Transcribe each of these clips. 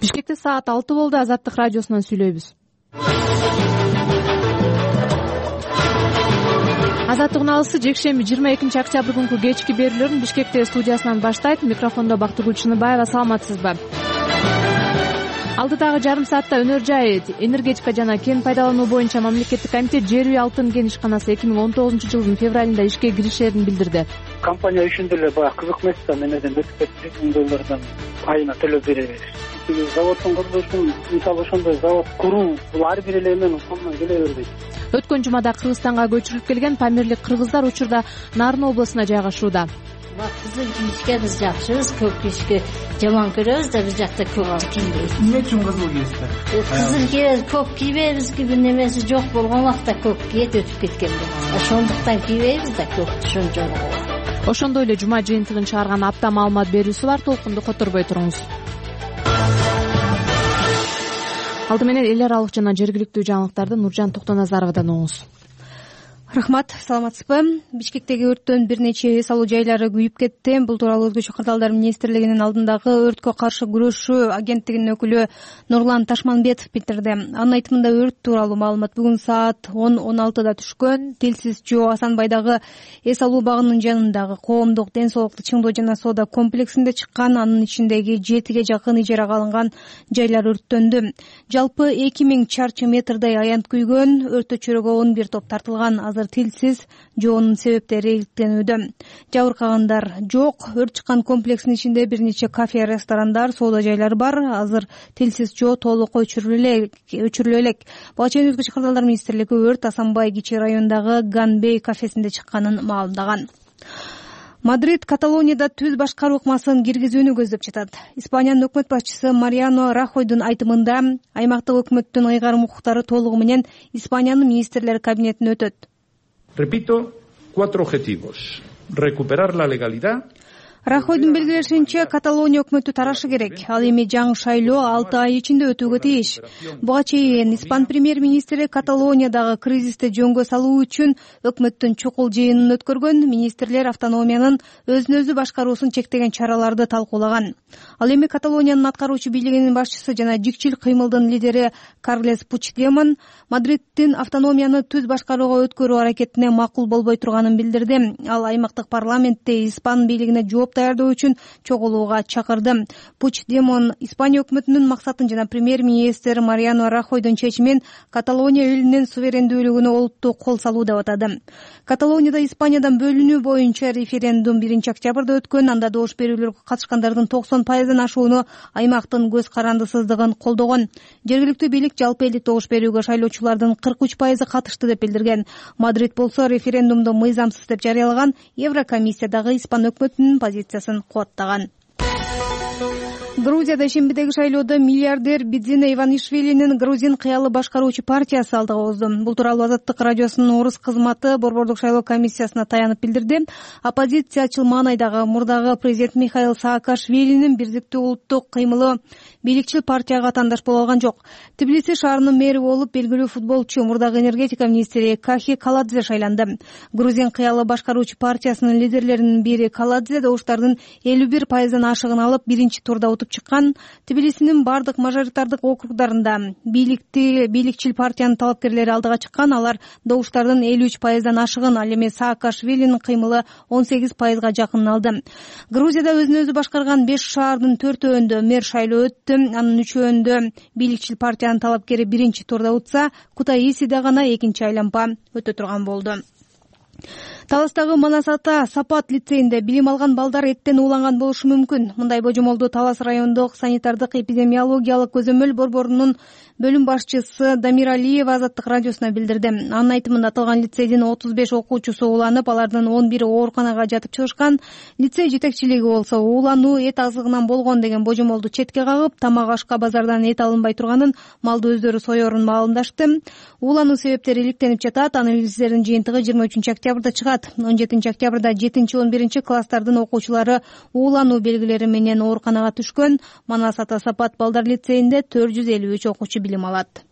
Бишкекте саат 6 болду. Азаттык радиосунан сүйлөйбүз. Азаттык алысы жекшемби 22 октябрь күнкү кечки берүүлөрүн Бишкекте студиясынан баштайт. Микрофондо Бактыгүл Чыныбаева. Саламатсызбы? Алдыдагы жарым саатта Өнөр жай энергетика жана кен пайдалануу боюнча мамлекеттик комитет жер үй алтын кен ишканасы 2019 жылдын февралында ишке киришерин билдирди. Компания үчүн деле баягы кызык эмес да, менен $100,000 айына төлөп беребиз. Заводдун курулушун, мисалы ошондой завод куруу бул ар бир эле менен колдон келе бербейт. Өткөн жумада Кыргызстанга көчүрүлүп келген памирлик кыргыздар учурда Нарын облусуна жайгашууда. Кызыл кийишке биз жакшыбыз, көк кийишке жаман көрөбүз да, биз жакта көктү кийбейбиз. Эмне үчүн кызыл кийесиздер? Кызыл кийебиз, көк кийбейбиз, бир немеси жок болгон убакта көк кийет өтүп кеткенде. Ошондуктан кийбейбиз да, көктү ошончолук. Ошондой эле жума жыйынтыгын чыгарган апта маалымат берүүсү бар. Толкунду которбой туруңуз. Алды менен эл аралык жана жергиликтүү жаңылыктарды Нуржан Токтоназаровадан угуңуз. Рахмат, саламатсызбы? Бишкектеги өрттөн бир нече эс алуу жайлары күйүп кетти. Бул тууралуу Өзгөчө кырдаалдар министрлигинин алдындагы өрткө каршы күрөшүү агенттигинин өкүлү Нурлан Ташманбетов билдирди. Анын айтымында өрт тууралуу маалымат бүгүн саат 10:16 түшкөн. Тилсиз Жоо Асанбайдагы эс алуу багынын жанындагы коомдук ден соолукту чыңдоо жана соода комплексинде чыккан. Анын ичиндеги 7ге жакын ижарага алынган жайлар өрттөндү. Жалпы 2000 чарчы метрдей аянт күйгөн. Өрттө чөйрөгө 11 топ тартылган. Тилсиз жоонун себептери иликтенүүдө. Жабыркагандар жок. Өрт чыккан комплекстин ичинде бир нече кафе, ресторандар, соода жайлары бар. Азыр тилсиз жоо толук өчүрүлө элек. Буга чейин Өзгөчө кырдаалдар министрлиги өрт Асанбай кичи районундагы Ганбей кафесинде чыкканын маалымдаган. Мадрид Каталонияда түз башкаруу ыкмасын киргизүүнү көздөп жатат. Испаниянын өкмөт башчысы Мариано Рахойдун айтымында аймактык өкмөттүн ыйгарым укуктары толугу менен Испаниянын министрлер кабинетине өтөт. Repito, 4 objetivos. Recuperar la legalidad. Рахойдун белгилешинче, Каталония өкмөтү тарашы керек. Ал эми жаңы шайлоо 6 ай ичинде өтүүгө тийиш. Буга чейин Испан премьер-министри Каталониядагы кризисти жөнгө салуу үчүн өкмөттүн чукул жыйынын өткөргөн. Министрлер автономиянын өзүн өзү башкаруусун чектеген чараларды талкуулаган. Ал эми Каталониянын аткаруучу бийлигинин башчысы жана жикчил кыймылдын лидери Карлес Пучдемон Мадридтин автономияны түз башкарууга өткөрүү аракетине макул болбой турганын билдирди. Ал аймактык парламентте Испан бийлигине жооп даярдоо үчүн чогулууга чакырды. Пучдемон Испания өкмөтүнүн максатын жана премьер-министр Мариано Рахойдун чечимин Каталония элинин суверендүүлүгүнө олуттуу кол салуу деп атады. Каталонияда Испаниядан бөлүнүү боюнча референдум 1 октябрда өткөн. Анда добуш берүүлөргө катышкандардын 90% ашууну аймактын көз карандысыздыгын колдогон. Жергиликтүү бийлик жалпы элдик добуш берүүгө шайлоочулардын 43% катышты деп билдирген. Мадрид болсо референдумду мыйзамсыз деп жарыялаган. Еврокомиссиядагы Испан өкмөтүнүн позициясын кубаттаган. Грузияда шембидеги шайлоодо миллиардер Бидзина Иванишвилинин грузин кыялы башкаруучу партиясы алдыга озду. Бул тууралуу Азаттык радиосунун орус кызматы Борбордук шайлоо комиссиясына таянып билдирди. Оппозициячыл маанайдагы мурдагы президент Михаил Саакашвилинин бирдиктүү улуттук кыймылы бийликчил партияга атаандаш боло алган жок. Тбилиси шаарынын мэри болуп белгилүү футболчу мурдагы энергетика министри Кахи Каладзе шайланды. Грузин кыялы башкаруучу партиясынын лидерлеринин бири Каладзе добуштардын 51%дан ашыгын алып, биринчи турда утуп чыккан. Тбилисинин бардык мажоритардык округдарында бийликчил партиянын талапкерлери алдыга чыккан. Алар добуштардын 53%дан ашыгын, ал эми Саакашвилинин кыймылы 18%га жакынын алды. Грузияда өзүн өзү башкарган 5 шаардын 4-өндө мэр шайлоо өттү. Анын 3-өндө бийликчил партиянын талапкери биринчи турда утса, Кутаисиде гана экинчи айлампа өтө турган болду. Таластагы Манас ата Сапат лицейинде билим алган балдар эттен ууланган болушу мүмкүн. Мындай божомолду Талас райондук санитардык эпидемиологиялык көзөмөл борборунун бөлүм башчысы Дамир Алиева Азаттык радиосуна билдирди. Анын айтымында аталган лицейдин 35 окуучусу ууланып, алардын 11 ооруканага жатып чыгышкан. Лицей жетекчилиги болсо уулануу эт азыгынан болгон деген божомолду четке кагып, тамак ашка базардан эт алынбай турганын, малды өздөрү соерун маалымдашты. Уулануу себептери иликтенип жатат. Анализдердин жыйынтыгы 23 октябрда чыгат. 17 октябрда 7-11 класстардын окуучулары уулануу белгилери менен ооруканага түшкөн. Манас ата Сапат балдар лицейинде 453 окуучу билим алат.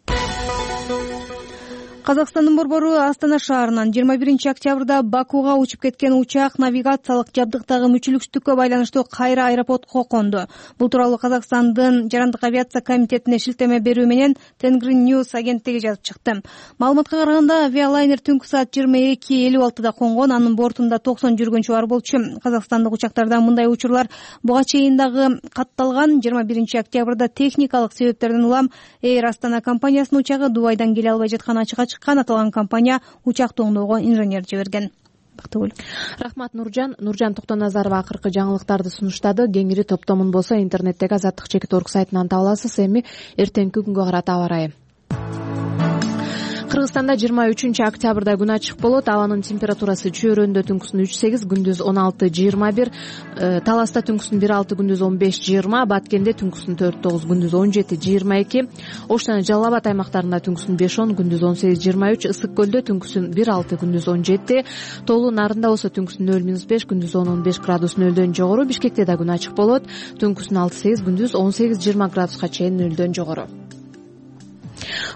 Казакстандын борбору Астана шаарынан 21 октябрда Бакуга учуп кеткен учак навигациялык жабдыктагы мүчүлүксүздүккө байланыштуу кайра аэропортко конду. Бул тууралуу Казакстандын жарандык авиация комитетине шилтеме берүү менен Тенгрин News агенттиги жазып чыкты. Маалыматка караганда, авиалайнер түнкү саат 22:56 конгон, анын бортунда 90 жүргүнчү бар болчу. Казакстандык учактарда мындай учурлар буга чейин дагы катталган. 21 октябрда техникалык себептерден улам Air Астана компаниясынын учагы Дубайдан келе албай жаткан ачыкка чыккан. Аталган компания учакты оңдоого инженер жиберген. Рахмат Нуржан Токтоназарова акыркы жаңылыктарды сунуштады. Кеңири топтомун болсо интернеттеги azatlyk.org сайтынан таба аласыз. Эми эртеңки күнгө карата аба ырайы. Кыргызстанда 23 октябрда күн ачык болот. Абанын температурасы чөйрөндө түнкүсүн 3-8, күндүз 16-21, Таласта түнкүсүн 1-6, күндүз 15-20, Баткенде түнкүсүн 4-9, күндүз 17-22, Ош жана Жалал Абад аймактарында түнкүсүн 5-10, күндүз 18-23, Ысык көлдө түнкүсүн 1-6, күндүз 17, Тоолуу Нарында болсо түнкүсүн 0-5, күндүз 10-15 градус нөлдөн жогору, Бишкекте да күн ачык болот. Түнкүсүн 6-8, күндүз 18-20 градуска чейин нөлдөн жогору.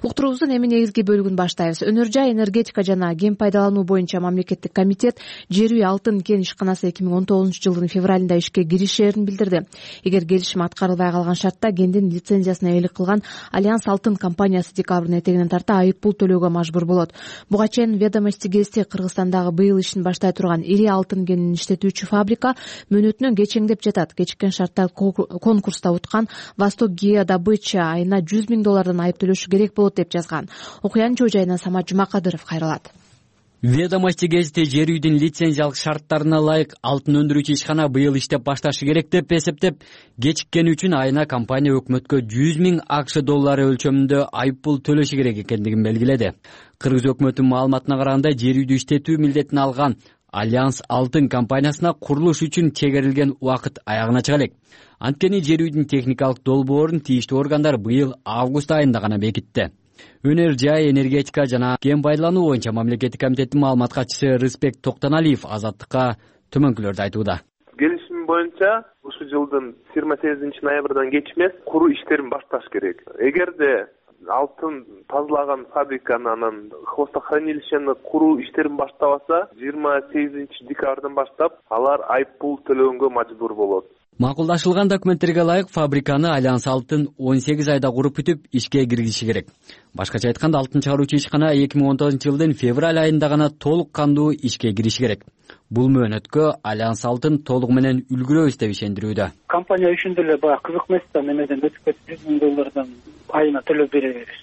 Уктуруубуздун эми негизги бөлүгүн баштайбыз. Өнөр жай, энергетика жана кен пайдалануу боюнча мамлекеттик комитет жер үй алтын кен ишканасы 2019 жылдын февралында ишке киришээрин билдирди. Эгер келишим аткарылбай калган шартта кендин лицензиясына ээлик кылган Альянс алтын компаниясы декабрдын этегинен тарта айып пул төлөөгө мажбур болот. Буга чейин Ведомости гезити Кыргызстандагы быйыл ишин баштай турган ири алтын кенин иштетүүчү фабрика мөөнөтүнөн кечеңдеп жатат. Кечиккен шартта конкурста уткан Восток Геодобыча айына $100,000 айып төлөшү керек болот деп жазган. Окуянын чоо жайынан Самат Жумакадыров кайрылат. Ведомости гезити жер үйдүн лицензиялык шарттарына ылайык алтын өндүрүүчү ишкана быйыл иштеп башташы керек деп эсептеп, кечиккени үчүн айына компания өкмөткө $100,000 өлчөмүндө айып пул төлөшү керек экендигин белгиледи. Кыргыз өкмөтүнүн маалыматына караганда, жер үйдү иштетүү милдетин алган Альянс алтын компаниясына курулуш үчүн чегерилген убакыт аягына чыга элек. Анткени жер үйдүн техникалык долбоорун тийиштүү органдар быйыл август айында гана бекитти. Өнөр жай, энергетика жана кен пайдалануу боюнча мамлекеттик комитеттин маалымат катчысы Рыспек Токтоналиев Азаттыкка төмөнкүлөрдү айтууда. Келишим боюнча ушул жылдын 28 ноябрдан кеч эмес куруу иштерин башташ керек. Эгерде алтын тазалаган фабриканы анан хвостохранилищени куруу иштерин баштабаса, 28 декабрдан баштап алар айып пул төлөгөнгө мажбур болот. Макулдашылган документтерге ылайык фабриканы Альянс алтын 18 айда куруп бүтүп ишке киргизиши керек. Башкача айтканда, алтын чыгаруучу ишкана 2019 жылдын февраль айында гана толук кандуу ишке кириши керек. Бул мөөнөткө Альянс алтын толугу менен үлгүрөбүз деп ишендирүүдө. Компания үчүн деле баягы кызык эмес да, немеден өтүп кетип $100,000 айына төлөп беребиз.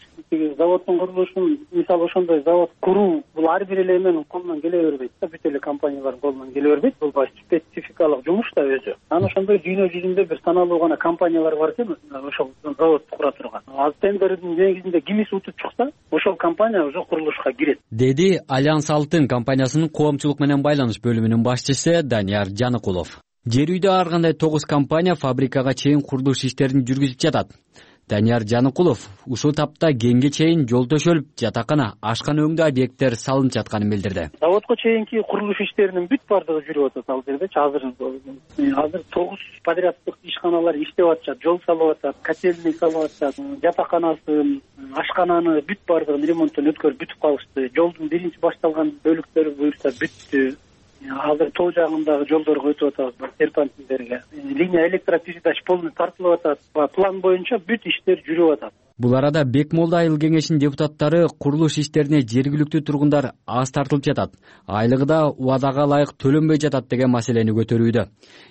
Заводдун курулушун, мисалы ошондой завод куруу, бул ар бир эле менин колунан келе бербейт да, бүт эле компаниялардын колунан келе бербейт. Бул баягы спецификалык жумуш да өзү. Анан ошондой дүйнө жүзүндө бир саналуу гана компаниялар бар экен, ошол заводду кура турган. Ал тендердин негизинде кимиси утуп чыкса, ошол компания уже курулушка кирет. Деди Альянс алтын компаниясынын коомчулук менен байланыш бөлүмүнүн башчысы Данияр Жаныкулов. Жер үйдө ар кандай 9 компания фабрикага чейин курулуш иштерин жүргүзүп жатат. Данияр Жаныкулов ушул тапта кенге чейин жол төшөлүп, жатакана, ашкана өңдүү объекттер салынып жатканын билдирди. Заводко чейинки курулуш иштеринин бүт бардыгы жүрүп атат ал жердечи. Азыр 9 подряддык ишканалар иштеп атышат, жол салып атат, котельный салып атышат, жатаканасын, ашкананы бүт бардыгын ремонттон өткөрүп бүтүп калышты. Жолдун биринчи башталган бөлүктөрү буюрса бүттү. Азыр тоо жагындагы жолдорго өтүп атабыз, серпантиндерге. Линия электропередач полный тартылып атат. План боюнча бүт иштер жүрүп атат. Бул арада Бекмолда айыл кеңешинин депутаттары курулуш иштерине жергиликтүү тургундар аз тартылып жатат. Айлыгы да убадага ылайык төлөнбөй жатат деген маселени көтөрүүдө.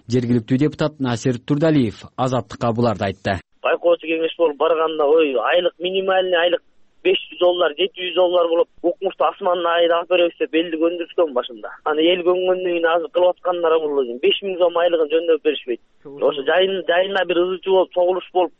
Жергиликтүү депутат Насир Турдалиев Азаттыкка буларды айтты. Байкоочу кеңеш болуп барганда айлык минимальный айлык $500, $700 болуп, укмушту асманына айда алып беребиз деп элди көндүрүшкөн башында. Аны эл көңгөндөн кийин азыр кылып аткандар бул 5,000 сом айлыгын жөндөп беришпейт. Ошо жайына бир ызычуу болуп, чогулуш болуп,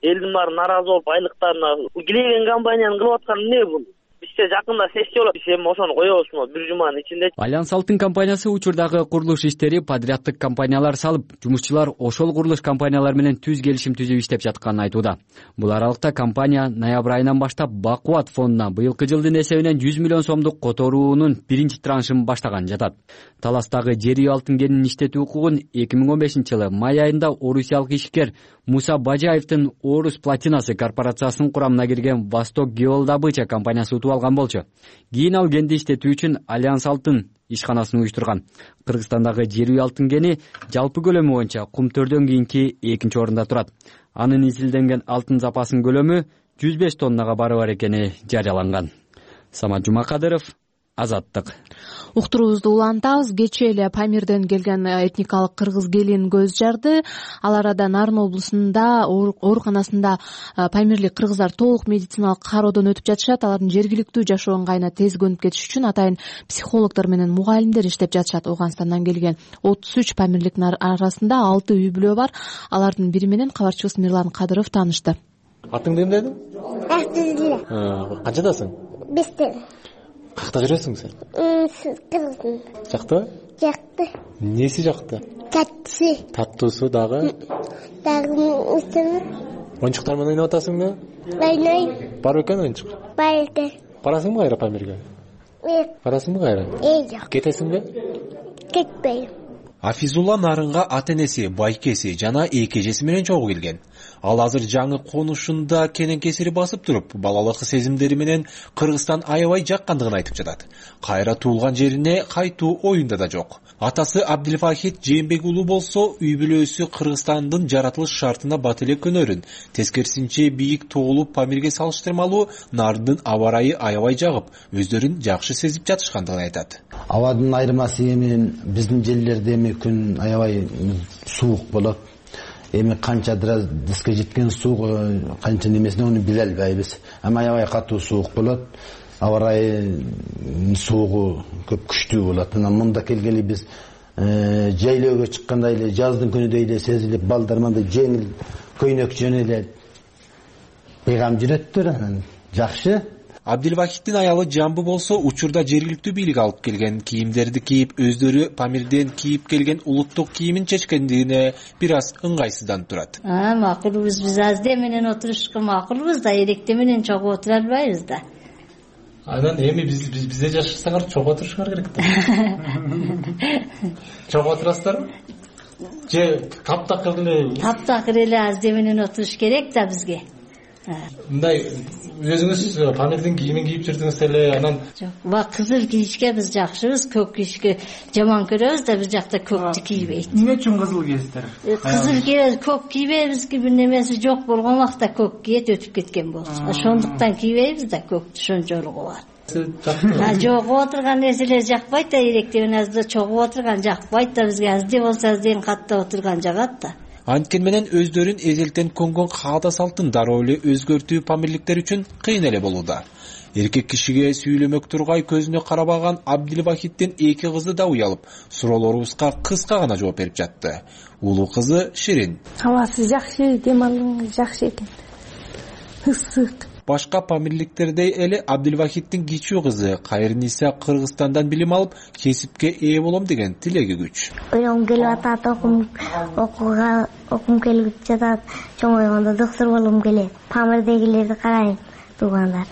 элдин баары нааразы болуп, айлыктарына килеген компаниянын кылып атканы эмне бул? Бизде жакында сессия болот, биз эми ошону коебузбу бир жуманын ичинде. Альянс алтын компаниясы учурдагы курулуш иштери подряддык компаниялар салып, жумушчулар ошол курулуш компаниялар менен түз келишим түзүп иштеп жатканын айтууда. Бул аралыкта компания ноябрь айынан баштап Бакубат фондуна быйылкы жылдын эсебинен 100 миллион сомдук которуунун биринчи траншын баштаган жатат. Таластагы жер үй алтын кенин иштетүү укугун 2015 жылы май айында орусиялык ишкер Муса Бажаевдин Орус платинасы корпорациясынын курамына кирген Восток Геодобыча компаниясы утуп алган болчу. Кийин ал кенди иштетүү үчүн Альянс алтын ишканасын уюштурган. Кыргызстандагы жер үй алтын кени жалпы көлөмү боюнча Кумтөрдөн кийинки 2-орунда турат. Анын изилденген алтын запасынын көлөмү 105 тоннага барабар экени жарыяланган. Самат Жумакадыров, Азаттык. Уктуруубузду улантабыз. Кечээ эле Памирден келген этникалык кыргыз келин көз жарды. Ал арада Нарын облусунда ооруканасында памирлик кыргыздар толук медициналык кароодон өтүп жатышат. Алардын жергиликтүү жашоо ыңгайына тез көнүп кетиш үчүн атайын психологдор менен мугалимдер иштеп жатышат. Ооганстандан келген 33 памирликтин арасында 6 үй бүлө бар. Алардын бири менен кабарчыбыз Мирлан Кадыров таанышты. Атыңды ким дедиң? Артылдыра. Канчадасың? 5-те. Какта жүрөсүң сен? Кыргыздын. Жакты? Жакты. Неси жакты? Таттысы. Таттуусу дагы? Дагы устуну. Оюнчуктар менен ойноп атасыңбы? Ойнойм. Бар экен оюнчук? Бар экен. Барасыңбы кайра Памирге? Барасыңбы кайра? Жок. Кетесиңби? Кетпейм. Афизулла Нарынга ата-энеси, байкеси жана эки эжеси менен чогуу келген. Ал азыр жаңы конушунда кенен кесири басып туруп, балалык сезимдери менен Кыргызстан аябай жаккандыгын айтып жатат. Кайра туулган жерине кайтуу оюнда да жок. Атасы Абдилфахит Жээнбек уулу болсо, үй бүлөсү Кыргызстандын жаратылыш шартына бат эле көнөрүн. Тескерисинче бийик тоолуп Памирге салыштырмалуу Нардын аба ырайы аябай жагып, өздөрүн жакшы сезип жатышкандыгын айтат. Абадын айырмасы эми биздин жерлерде эми күн аябай суук болот. Эми канча диске жеткен суук, канча немесин аны биле албайбыз. Ама аябай катуу суук болот. Аба ырайы суугу көп күчтүү болот. Мында келгели биз жайлоого чыкканда эле жаздын күнүдөй эле сезилип, балдар мындай жеңил көйнөк жөнелет. Бейгам жүрөттөр, анан жакшы. Абдилвахиттин аялы Жамбы болсо, учурда жергиликтүү бийлик алып келген кийимдерди кийип, өздөрү Памирден кийип келген улуттук кийимин чечкендигине бир аз ыңгайсызданып турат. Макулбуз, биз азде менен отурушка макулбуз да, эректе менен чогуу отура албайбыз да. Анан эми бизде жашасаңар чогуу отурушуңар керек да. Чогуу отурасыздарбы? Же таптакыр эле? Таптакыр эле азде менен отуруш керек да бизге. Мындай өзүңүз Памирдин кийимин кийип жүрдүңүз эле, анан жок, кызыл кийишке биз жакшыбыз, көк кийишке жаман көрөбүз да, бир жакта көктү кийбейт. Эмне үчүн кызыл кийесиздер? Кызыл кийебиз, көк кийбейбиз, бир немеси жок болгон убакта көк кийет, өтүп кеткен болчу. Ошондуктан кийбейбиз да, көктү ошончолугу бар. Жогуп отурган нерселер жакпайт да, эректе менен азда чогуп отурган жакпайт да бизге, азды болсо азден каттап отурган жагат да. Анткени менен өздөрүн эзелтен көнгөн каада салтын дароо эле өзгөртүү памирликтер үчүн кыйын эле болууда. Эркек кишиге сүйлөмөк тургай көзүнө карабаган Абдилвахиттин эки кызы да уялып, суроолорубузга кыска гана жооп берип жатты. Улуу кызы Ширин. Абасы жакшы, дем алуу жакшы экен. Ысык. Башка памирликтердей эле Абдилвахиттин кичүү кызы Кайрниса Кыргызстандан билим алып, кесипке ээ болом деген тилеги күч. Ойлогум келип атат, окум келип жатат, чоңойгондо доктор болом келет. Памирдегилерди карайм, туугандар.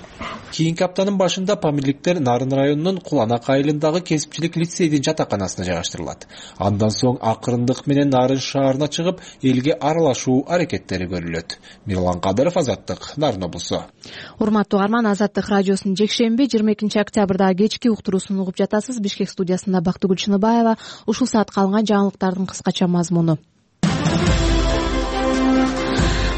Кийинки аптанын башында памирликтер Нарын районунун Куланак айылындагы кесипчилик лицейдин жатаканасына жайгаштырылат. Андан соң акырындык менен Нарын шаарына чыгып, элге аралашуу аракеттери көрүлөт. Мирлан Кадыров, Азаттык, Нарын облусу. Урматтуу угарман, Азаттык радиосунун жекшемби 22 октябрда кечки уктуруусун угуп жатасыз. Бишкек студиясында Бактыгүл Чыныбаева. Ушул саатка алынган жаңылыктардын кыскача мазмуну.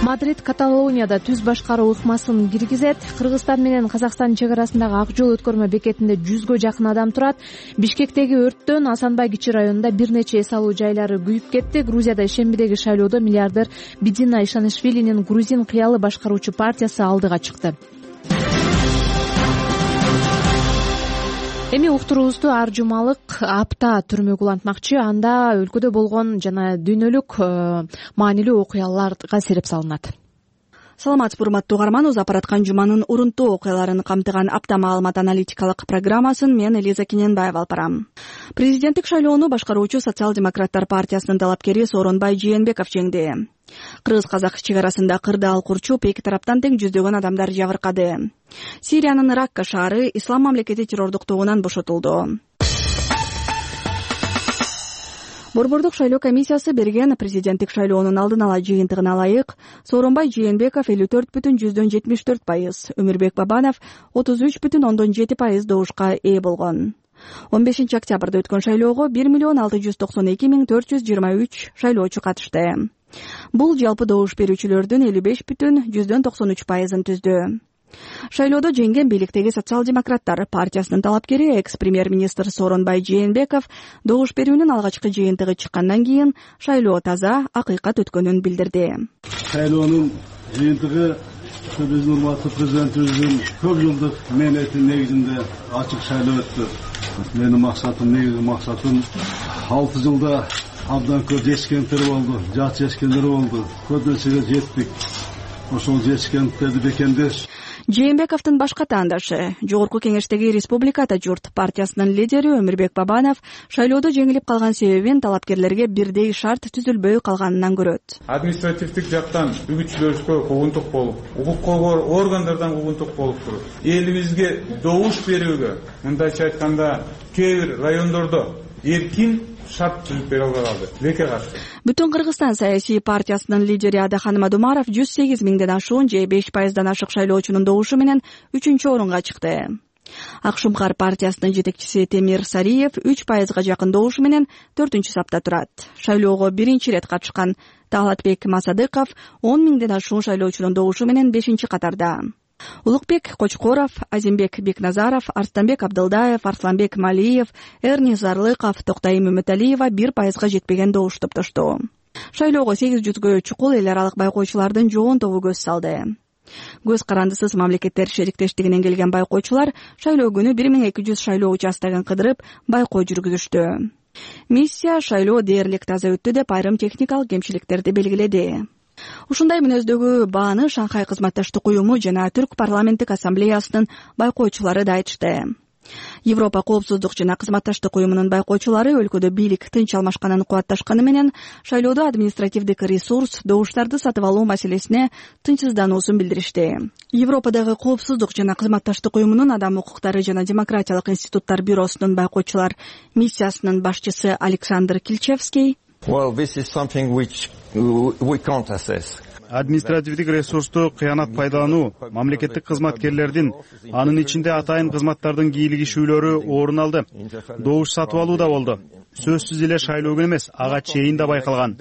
Мадрид Каталонияда түз башкаруу ыкмасын киргизет. Кыргызстан менен Казакстан чек арасындагы ак жол өткөрмө бекетинде 100гө жакын адам турат. Бишкектеги өрттөн Асанбай кичи районунда бир нече эс алуу жайлары күйүп кетти. Грузияда ишембидеги шайлоодо миллиардер Бидина Ишанишвилинин грузин кыялы башкаруучу партиясы алдыга чыкты. Эми уктуруубузду ар жумалык апта түрмөгө улантмакчы. Анда өлкөдө болгон жана дүйнөлүк маанилүү окуяларга сереп салынат. Саламатсызбы, урматтуу угарман. Узап бараткан жуманын урунтуу окуяларын камтыган апта маалымат аналитикалык программасын мен Элиза Кененбаева алып барам. Президенттик шайлоону башкаруучу Социал-демократтар партиясынын талапкери Сооронбай Жээнбеков жеңди. Кыргыз-казак чек арасында кырдаал курчуп, эки тараптан тең жүздөгөн адамдар жабыркады. Сириянын Ракка шаары ислам мамлекети террордук тобунан бошотулду. Борбордук шайлоо комиссиясы берген президенттик шайлоонун алдын ала жыйынтыгына ылайык Сооронбай Жээнбеков 54,74%, Өмүрбек Бабанов 33,7% добушка ээ болгон. 15 октябрда өткөн шайлоого 1,692,423 шайлоочу катышты. Бул жалпы добуш берүүчүлөрдүн 55,93%ын түздү. Шайлоодо жеңген бийликтеги социал-демократтар партиясынын талапкери экс-премьер-министр Сооронбай Жээнбеков добуш берүүнүн алгачкы жыйынтыгы чыккандан кийин шайлоо таза, акыйкат өткөнүн билдирди. Шайлоонун жыйынтыгы биздин урматтуу президентибиздин көп жылдык мээнетинин негизинде ачык шайлоо өттү. Менин максатым, негизги максатым 6 жылда абдан көп жетишкендер болду, жат жетишкендер болду. Көп нерсеге жеттик. Ошол жетишкендерди бекемдеш. Жээнбековдун башка таандашы, Жогорку Кеңештеги Республикада журт партиясынын лидери Өмүрбек Бабанов шайлоодо жеңилип калган себебин талапкерлерге бирдей шарт түзүлбөй калганынан көрөт. Административдик жактан үгүтчүлөргө куугунтук болуп, укук коргоо органдардан куугунтук болуп туруп, элибизге добуш берүүгө, мындайча айтканда, кээ бир райондордо эркин шарт түзүп бере албай калды. Леке каршы. Бүтүн Кыргызстан саясий партиясынын лидери Адахан Мадумаров 108 миңден ашуун же 5%дан ашык шайлоочунун добушу менен 3-орунга чыкты. Акшумкар партиясынын жетекчиси Темир Сариев 3%га жакын добушу менен 4-сапта турат. Шайлоого биринчи рет катышкан Талатбек Масадыков 10 миңден ашуун шайлоочунун добушу менен 5-катарда. Улукбек Кочкоров, Азимбек Бекназаров, Арстанбек Абдылдаев, Арсланбек Малиев, Эрни Зарлыков, Токтайым Үмүталиева 1%га жетпеген добуш топтошту. Шайлоого 800гө чукул эл аралык байкоочулардын жоон тобу көз салды. Көз карандысыз мамлекеттер шериктештигинен келген байкоочулар шайлоо күнү 1200 шайлоо участогун кыдырып байкоо жүргүзүштү. Миссия шайлоо дээрлик таза өттү деп айрым техникалык кемчиликтерди белгиледи. Ушундай мүнөздөгү бааны Шанхай кызматташтык уюму жана Түрк парламенттик ассамблеясынын байкоочулары да айтышты. Европа коопсуздук жана кызматташтык уюмунун байкоочулары өлкөдө бийлик тынч алмашканын кубатташканы менен шайлоодо административдик ресурс, добуштарды сатып алуу маселесине тынчсыздануусун билдиришти. Европадагы коопсуздук жана кызматташтык уюмунун адам укуктары жана демократиялык институттар бюросунун байкоочулар миссиясынын башчысы Александр Кильчевский административдик ресурсту кыянат пайдалануу, мамлекеттик кызматкерлердин, анын ичинде атайын кызматтардын кийлигишүүлөрү орун алды. Добуш сатып алуу да болду. Сөзсүз эле шайлоо күнү эмес, ага чейин да байкалган.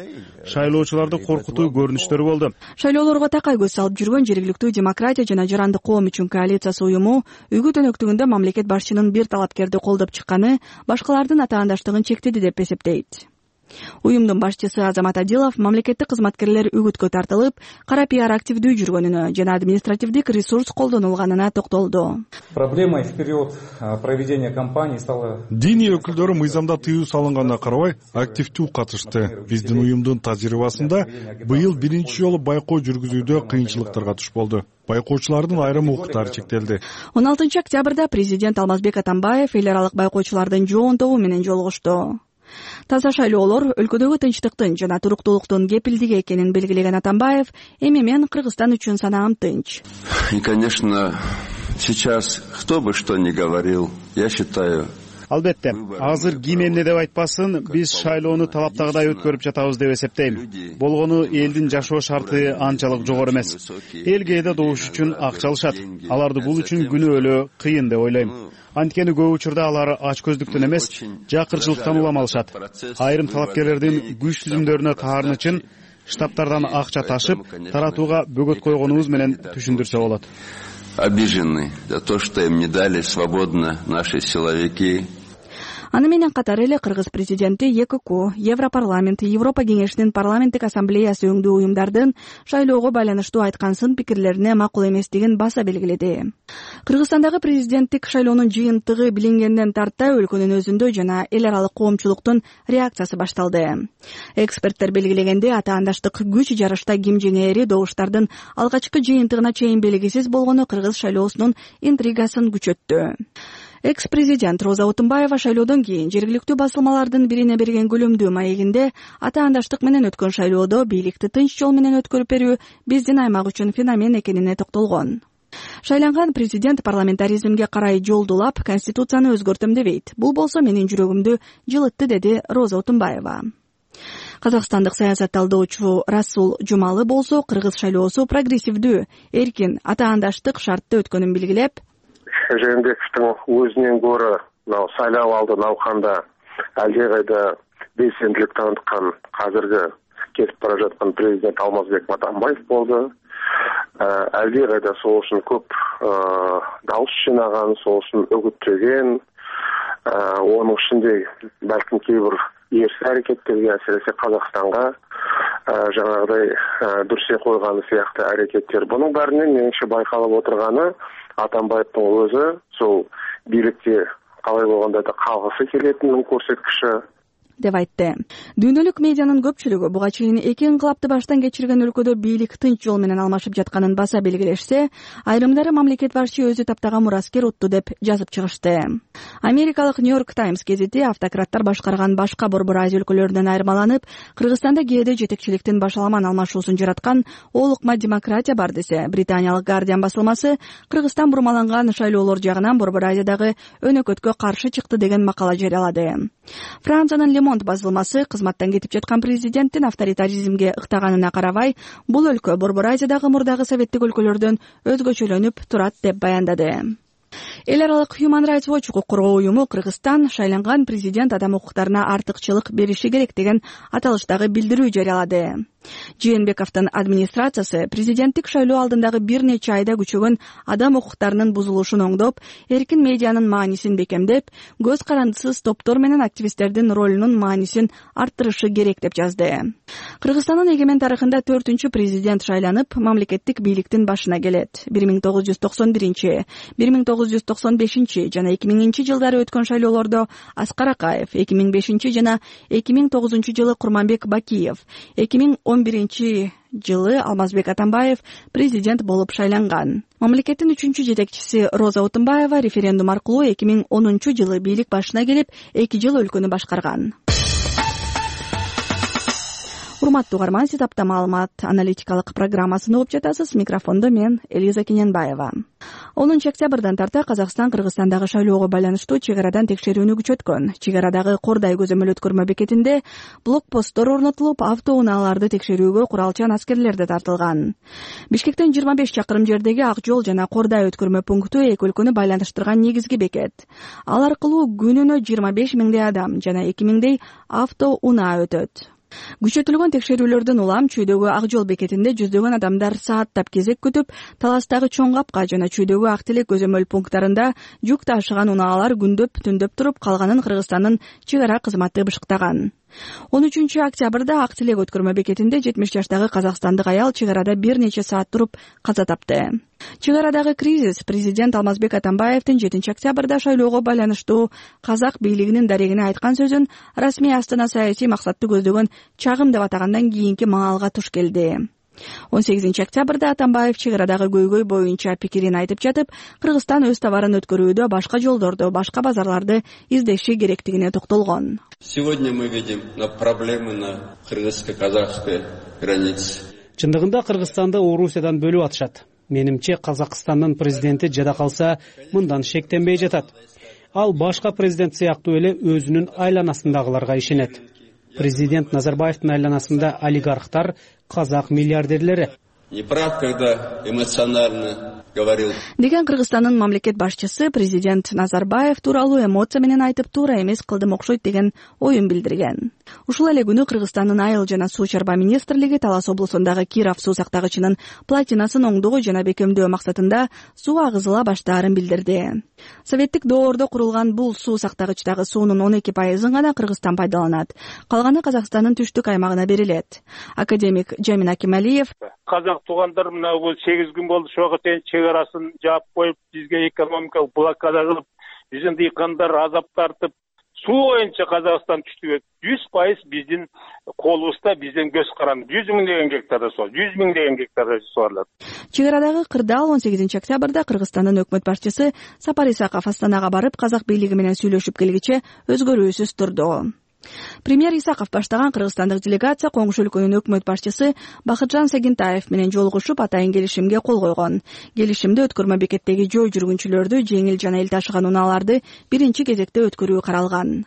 Шайлоочуларды коркутуу көрүнүштөрү болду. Шайлоолорго такай көз салып жүргөн жергиликтүү демократия жана жарандык коом үчүн коалициясы уюму үгүт өнөктүгүндө мамлекет башчынын бир талапкерди колдоп чыкканы башкалардын атаандаштыгын чектеди деп эсептейт. Уюмдун башчысы Азамат Адилов мамлекеттик кызматкерлер үгүткө тартылып, кара пиар активдүү жүргөнүнө жана административдик ресурс колдонулганына токтолду. Проблемой в период проведения кампании стала диний өкүлдөрү мыйзамда тыюу салынганына карабай активдүү катышты. Биздин уюмдун тажрыйбасында быйыл биринчи жолу байкоо жүргүзүүдө кыйынчылыктарга туш болду. Байкоочулардын айрым укуктары чектелди. 16 октябрда президент Алмазбек Атамбаев эл аралык байкоочулардын жоон тобу менен жолугушту. Таза шайлоолор өлкөдөгү тынчтыктын жана туруктуулуктун кепилдиги экенин белгилеген Атамбаев, эми мен Кыргызстан үчүн санаам тынч. И, конечно, сейчас кто бы что ни говорил, я считаю. Албетте, азыр ким эмне деп айтпасын, биз шайлоону талаптагыдай өткөрүп жатабыз деп эсептейм. Болгону элдин жашоо шарты анчалык жогору эмес. Эл кээде добуш үчүн акча алышат. Аларды бул үчүн күнөөлөө кыйын деп ойлойм. Анткени көп учурда алар ач көздүктөн эмес, жакырчылыктан улам алышат. Айрым талапкерлердин күч түзүмдөрүнө таарын үчүн штабтардан акча ташып, таратууга бөгөт койгонубуз менен түшүндүрсө болот. Обижены за то, что им не дали свободно наши силовики. Аны менен катары эле Кыргыз президенти ЕКК, Европарламент, Европа кеңешинин парламенттик ассамблеясы өңдүү уюмдардын шайлоого байланыштуу айткан сын пикирлерине макул эместигин баса белгиледи. Кыргызстандагы президенттик шайлоонун жыйынтыгы билингенден тарта өлкөнүн өзүндө жана эл аралык коомчулуктун реакциясы башталды. Эксперттер белгилегенде атаандаштык күч жарышта ким жеңээри добуштардын алгачкы жыйынтыгына чейин белгисиз болгону кыргыз шайлоосунун интригасын күчөттү. Экс-президент Роза Отунбаева шайлоодон кийин жергиликтүү басылмалардын бирине берген көлөмдүү маегинде атаандаштык менен өткөн шайлоодо бийликти тынч жол менен өткөрүп берүү биздин аймак үчүн феномен экенине токтолгон. Шайланган президент парламентаризмге карай жолдулап, конституцияны өзгөртөм дебейт. Бул болсо менин жүрөгүмдү жылытты, деди Роза Отунбаева. Казакстандык саясат талдоочу Расул Жумалы болсо кыргыз шайлоосу прогрессивдүү, эркин, атаандаштык шартты өткөнүн белгилеп, Жээнбековдун өзүнөн көрө шайлоо алды науқанда әлдеқайда белсенділік танытқан қазіргі кетіп бара жатқан президент Алмазбек Атамбаев болды. Әлдеқайда сол үшін көп дауыс жинаған, сол үшін үгіттеген, оның ішінде бәлкім кейбір ерсі әрекеттерге, әсіресе Қазақстанға жаңағыдай дүрсе қойғаны сияқты әрекеттер. Бұның бәрінен меніңше байқалып отырғаны Атамбаевтың өзі сол билікте қалай болгондо да калгысы келетинин көрсөткүчү деп айтты. Дүйнөлүк медианын көпчүлүгү буга чейин эки инкылапты баштан кечирген өлкөдө бийлик тынч жол менен алмашып жатканын баса белгилешсе, айрымдары мамлекет башчы өзү таптаган мураскер утту деп жазып чыгышты. Америкалык Нью-Йорк Таймс гезити автократтар башкарган башка борбор Азия өлкөлөрүнөн айырмаланып, Кыргызстанда кээде жетекчиликтин башаламан алмашуусун жараткан олукма демократия бар десе, британиялык Guardian басылмасы Кыргызстан бурмаланган шайлоолор жагынан борбор Азиядагы өнөкөткө каршы чыкты деген макала жарыялады. Франциянын Монт басылмасы кызматтан кетип жаткан президенттин авторитаризмге ыктаганына карабай, бул өлкө борбор Азиядагы мурдагы советтик өлкөлөрдөн өзгөчөлөнүп турат деп баяндады. Эл аралык Human Rights Watch укук коргоо уюму Кыргызстан шайланган президент адам укуктарына артыкчылык бериши керек деген аталыштагы билдирүү жарыялады. Жээнбековдун администрациясы президенттик шайлоо алдындагы бир нече айда күчөгөн адам укуктарынын бузулушун оңдоп, эркин медианын маанисин бекемдеп, көз карандысыз топтор менен активисттердин ролунун маанисин арттырышы керек деп жазды. Кыргызстандын эгемен тарыхында 4-чү президент шайланып, мамлекеттик бийликтин башына келет. 1991, 1995 жана 2000 жылдары өткөн шайлоолордо Аскар Акаев, 2005 жана 2009 жылы Курманбек Бакиев, 2011 жылы Алмазбек Атамбаев президент болуп шайланган. Мамлекеттин 3-чү жетекчиси Роза Отунбаева референдум аркылуу 2010 жылы бийлик башына келип, 2 жыл өлкөнү башкарган. Урматтуу угарман, сиз апта маалымат аналитикалык программасын угуп жатасыз. Микрофондо мен Элиза Кененбаева. 10 октябрдан тарта Казакстан Кыргызстандагы шайлоого байланыштуу чек арадан текшерүүнү күчөткөн. Чек арадагы Кордай көзөмөл өткөрмө бекетинде блокпосттор орнотулуп, автоунааларды текшерүүгө куралчан аскерлер да тартылган. Бишкектен 25 чакырым жердеги Ак жол жана Кордай өткөрмө пункту эки өлкөнү байланыштырган негизги бекет. Ал аркылуу күнүнө 25 миңдей адам жана 2 миңдей автоунаа өтөт. Күчөтүлгөн текшерүүлөрдөн улам чүйдөгү Ак жол бекетинде жүздөгөн адамдар сааттап кезек күтүп, Таластагы Чоң Капка жана чүйдөгү Ак Телек көзөмөл пункттарында жүк ташыган унаалар күндөп түндөп туруп, калганын Кыргызстандын чек ара кызматы бышыктаган. 13 октябрда Ак Телек өткөрмө бекетинде 70 жаштагы казакстандык аял чек арада бир нече саат туруп каза тапты. Чек арадагы кризис президент Алмазбек Атамбаевдин 7 октябрда шайлоого байланыштуу казак бийлигинин дарегине айткан сөзүн расмий Астана саясий максатты көздөгөн чагым деп атагандан кийинки маалга туш келди. 18 октябрда Атамбаев чек арадагы көйгөй боюнча пикирин айтып жатып, Кыргызстан өз товарын өткөрүүдө башка жолдорду, башка базарларды издеши керектигине токтолгон. Сегодня мы видим проблемы на кыргызско-казахской границе. Чындыгында Кыргызстанды Орусиядан бөлүп атышат. Менимче Казакстандын президенти жада калса, мындан шектенбей жатат. Ал башка президент сыяктуу эле өзүнүн айланасындагыларга ишенет. Президент Назарбаевдин айланасында олигархтар, казак миллиардерлери. Не прав, когда эмоционально говорил. Деген Кыргызстандын мамлекет башчысы президент Назарбаев тууралуу эмоция менен айтып, туура эмес кылдым окшойт деген оюн билдирген. Ушул эле күнү Кыргызстандын айыл жана суу чарба министрлиги Талас облусундагы Киров суу сактагычынын платинасын оңдоо жана бекемдөө максатында суу агызыла баштаарын билдирди. Советтик доордо курулган бул суу сактагычтагы суунун 12% гана Кыргызстан пайдаланат. Калганы Казакстандын түштүк аймагына берилет. Академик Жамин Акималиев: Казак туугандар мына бул 8 күн болду ошого чейин чек арасын жаап коюп, бизге экономикалык блокада кылып, биздин дыйкандар азап тартып, суу боюнча Казакстан түштүк 100% биздин колубузда, биздин көз каранды 100 миң деген гектарда суу, 100 миң деген гектарда суарылат. Чек арадагы кырдаал 18 октябрда Кыргызстандын өкмөт башчысы Сапар Исаков Астанага барып, казак бийлиги менен сүйлөшүп келгиче өзгөрүүсүз турду. Премьер Исаков баштаган кыргызстандык делегация коңшу өлкөнүн өкмөт башчысы Бакытжан Сагинтаев менен жолугушуп, атайын келишимге кол койгон. Келишимде өткөрмө бекеттеги жөө жүргүнчүлөрдү, жеңил жана эл ташыган унааларды биринчи кезекте өткөрүү каралган.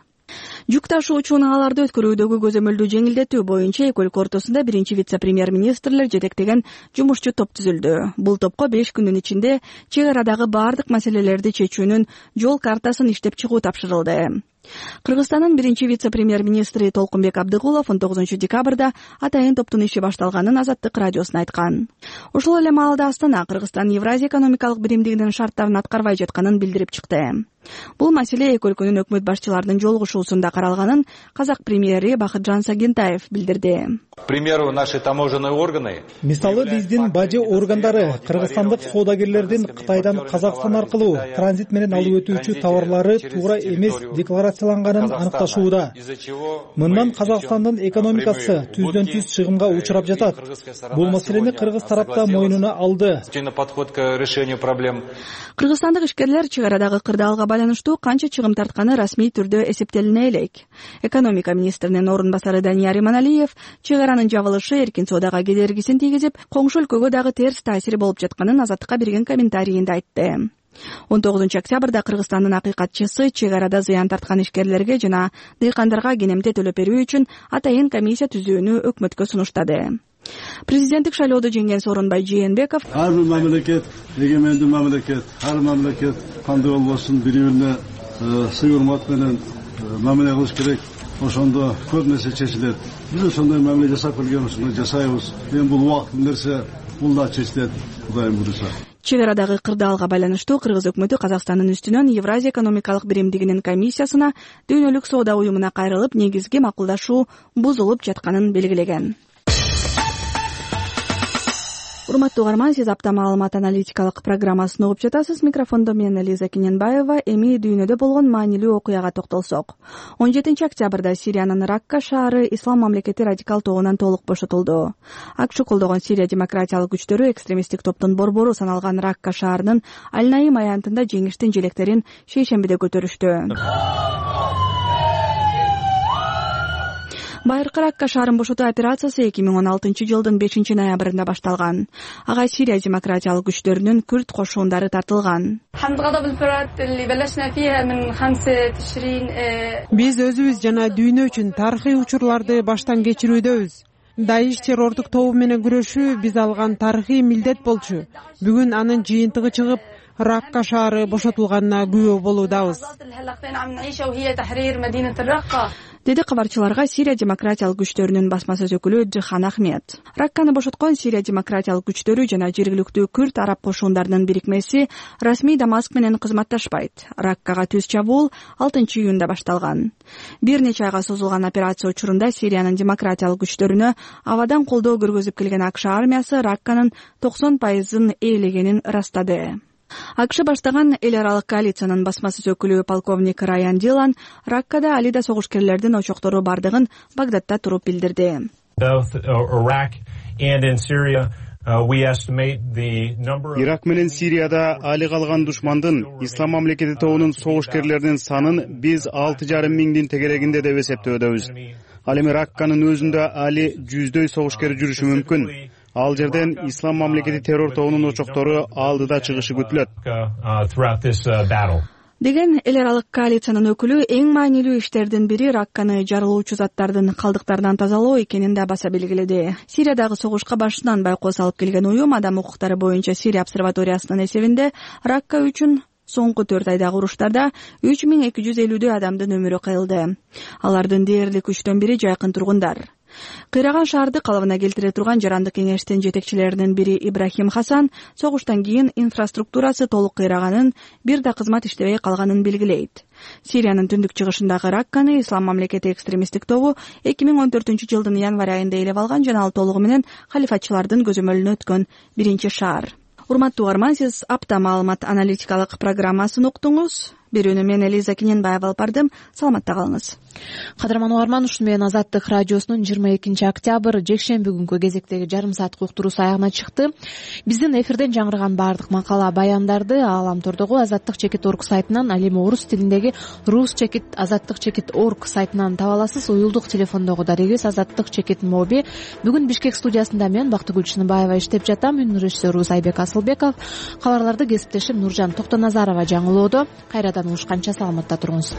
Жүк ташуучу унааларды өткөрүүдөгү көзөмөлдүү жеңилдетүү боюнча эки өлкө ортосунда биринчи вице-премьер-министрлер жетектеген жумушчу топ түзүлдү. Бул топко 5 күндүн ичинде чек арадагы баардык маселелерди чечүүнүн жол картасын иштеп чыгуу тапшырылды. Кыргызстандын биринчи вице-премьер-министри Толкунбек Абдыгулов 19 декабрда атайын топтун иши башталганын Азаттык радиосуна айткан. Ошол эле маалда Астана Кыргызстан Евразия экономикалык биримдигинин шарттарын аткарбай жатканын билдирип чыкты. Бул маселе эки өлкөнүн өкмөт башчыларынын жолугушуусунда каралганын казак премьери Бакытжан Сагентаев билдирди. К примеру, наши таможенные органы. Мисалы биздин бажы органдары кыргызстандык соодагерлердин Кытайдан Казакстан аркылуу транзит менен алып өтүүчү товарлары туура эмес декларацияланганын аныкташууда. Мындан Казакстандын экономикасы түздөн түз чыгымга учурап жатат. Бул маселени кыргыз тарапта мойнуна алды. Подход к решению проблем. Кыргызстандык ишкерлер чек арадагы кырдаалга байланыштуу канча чыгым тартканы расмий түрдө эсептелине элек. Экономика министринин орун басары Данияр Иманалиев чек аранын жабылышы эркин соодага кедергисин тийгизип, коңшу өлкөгө дагы терс таасири болуп жатканын Азаттыкка берген комментарийинде айтты. 19 октябрда Кыргызстандын акыйкатчысы чек арада зыян тарткан ишкерлерге жана дыйкандарга кенемте төлөп берүү үчүн атайын комиссия түзүүнү өкмөткө сунуштады. Президенттик шайлоодо жеңген Сооронбай Жээнбеков ар бир мамлекет эгемендүү мамлекет, ар мамлекет кандай болбосун бири-бирине сый урмат менен мамиле кылыш керек. Ошондо көп нерсе чечилет. Биз ошондой мамиле жасап келгенбиз, жасайбыз. Эми бул убакыт нерсе бул да чечилет, Кудайым буйруса. Чек арадагы кырдаалга байланыштуу Кыргыз өкмөтү Казакстандын үстүнөн Евразия экономикалык биримдигинин комиссиясына дүйнөлүк соода уюмуна кайрылып, негизги макулдашуу бузулуп жатканын белгилеген. Урматтуу угарман, сиз апта маалымат аналитикалык программасын угуп жатасыз. Микрофондо мен Элиза Кененбаева. Эми дүйнөдө болгон маанилүү окуяга токтолсок. 17 октябрда Сириянын Ракка шаары Ислам мамлекети радикал тобунан толук бошотулду. АКШ колдогон Сирия демократиялык күчтөрү экстремисттик топтун борбору саналган Ракка шаарынын Аль-Наим аянтында жеңиштин желектерин шейшембиде көтөрүштү. Байыркы Ракка шаарын бошотуу операциясы 2016 жылдын 5 ноябрында башталган. Ага Сирия демократиялык күчтөрүнүн күрд кошуундары тартылган. Биз өзүбүз жана дүйнө үчүн тарыхый учурларды баштан кечирүүдөбүз. Даиш террордук тобу менен күрөшүү биз алган тарыхый милдет болчу. Бүгүн анын жыйынтыгы чыгып, Ракка шаары бошотулганына күбө болуудабыз. Деди кабарчыларга Сирия демократиялык күчтөрүнүн басма сөз өкүлү Джихан Ахмед. Ракканы бошоткон Сирия демократиялык күчтөрү жана жергиликтүү күрд араб кошуундарынын бирикмеси расмий Дамаск менен кызматташпайт. Раккага түз чабуул 6 июнда башталган. Бир нече айга созулган операция учурунда Сириянын демократиялык күчтөрүнө абадан колдоо көргөзүп келген АКШ армиясы Ракканын 90% ээлегенин ырастады. АКШ баштаган эл аралык коалициянын басма сөз өкүлү полковник Райан Дилан Раккада али да согушкерлердин очоктору бардыгын Багдадда туруп билдирди. Ирак менен Сирияда али калган душмандын Ислам мамлекети тобунун согушкерлеринин санын биз 6,5 миңдин тегерегинде деп эсептөөдөбүз. Ал эми Ракканын өзүндө али жүздөй согушкер жүрүшү мүмкүн. Ал жерден Ислам мамлекети террор тобунун очоктору алдыда чыгышы күтүлөт. Деген эл аралык коалициянын өкүлү эң маанилүү иштердин бири Ракканы жарылуучу заттардын калдыктарынан тазалоо экенин да баса белгиледи. Сириядагы согушка башынан байкоо салып келген уюм адам укуктары боюнча Сирия обсерваториясынын эсебинде Ракка үчүн соңку 4 айдагы уруштарда 3250 адамдын өмүрү кыйылды. Алардын дээрлик 3/4 бири жайкын тургундар. Кыйраган шаарды калыбына келтире турган жарандык кеңештин жетекчилеринин бири Ибрахим Хасан согуштан кийин инфраструктурасы толук кыйраганын, бир да кызмат иштебей калганын белгилейт. Сириянын түндүк чыгышындагы Ракканы Ислам мамлекети экстремисттик тобу 2014 жылдын январь айында ээлеп алган жана ал толугу менен халифатчылардын көзөмөлүнө өткөн биринчи шаар. Урматтуу угарман, сиз апта маалымат аналитикалык программасын уктуңуз. Берүүнү мен Элиза Кененбаева алып бардым. Саламатта калыңыз. Кадырман угарман, ушуну менен Азаттык радиосунун 22 октябрь жекшемби күнгү кезектеги жарым сааттык уктуруусу аягына чыкты. Биздин эфирден жаңыраган баардык макала, баяндарды Ааламтордогу azattik.org сайтынан, ал эми орус тилиндеги rus.azattik.org сайтынан таба аласыз. Уюлдук телефондогу дарегибиз azattik.mobi. Бүгүн Бишкек студиясында мен Бактыгүл Чыныбаева иштеп жатам. Үн режиссерубуз Айбек Асылбеков. Кабарларды кесиптешим Нуржан Токтоназарова жаңылоодо. Кайрадан угушканча саламатта туруңуз.